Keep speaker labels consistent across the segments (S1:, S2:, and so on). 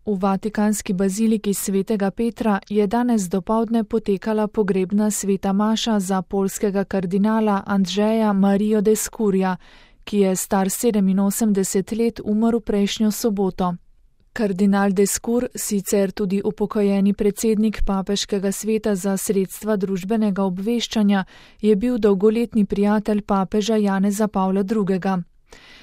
S1: V vatikanski baziliki svetega Petra je danes dopoldne potekala pogrebna sveta maša za poljskega kardinala Andrzeja Marijo Descurja, ki je star 87 let umrl prejšnjo soboto. Kardinal Descur, sicer tudi upokojeni predsednik Papeškega sveta za sredstva družbenega obveščanja, je bil dolgoletni prijatelj papeža Janeza Pavla II.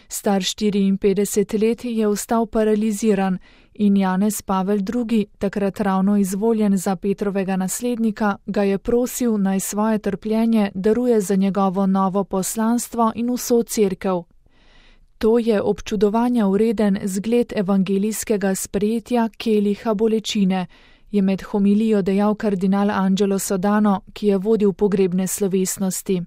S1: Star 54 let je ostal paraliziran in Janez Pavel II., takrat ravno izvoljen za Petrovega naslednika, ga je prosil, naj svoje trpljenje daruje za njegovo novo poslanstvo in vso cerkev. To je občudovanja vreden zgled evangelijskega sprejetja keliha bolečine, je med homilijo dejal kardinal Angelo Sodano, ki je vodil pogrebne slovesnosti.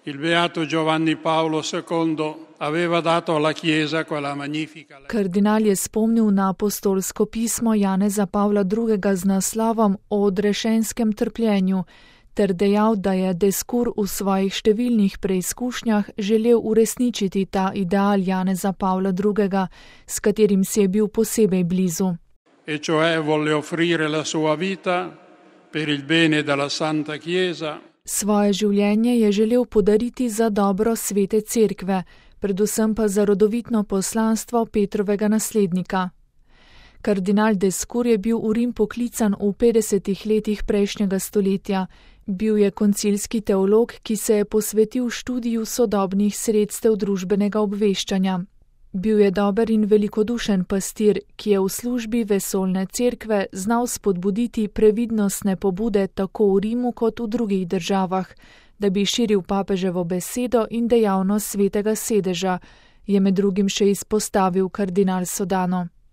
S2: Il beato Giovanni Paolo II aveva dato alla Chiesa quella magnifica.
S1: Kardinal je spomnil na apostolsko pismo Janeza Pavla II. Z naslovom o odrešenskem trpljenju, ter dejal, da je Descur v svojih številnih preizkušnjah želel uresničiti ta ideal Janeza Pavla II., s katerim si je bil posebej blizu.
S2: E cioè volle offrire la sua vita per il bene della Santa Chiesa.
S1: Svoje življenje je želel podariti za dobro svete cerkve, predvsem pa za rodovitno poslanstvo Petrovega naslednika. Kardinal Descur je bil v Rim poklican v 50. letih prejšnjega stoletja. Bil je koncilski teolog, ki se je posvetil študiju sodobnih sredstev družbenega obveščanja. Bil je dober in velikodušen pastir, ki je v službi vesoljne cerkve znal spodbuditi previdnostne pobude tako v Rimu kot v drugih državah, da bi širil papeževo besedo in dejavnost svetega sedeža, je med drugim še izpostavil kardinal Sodano.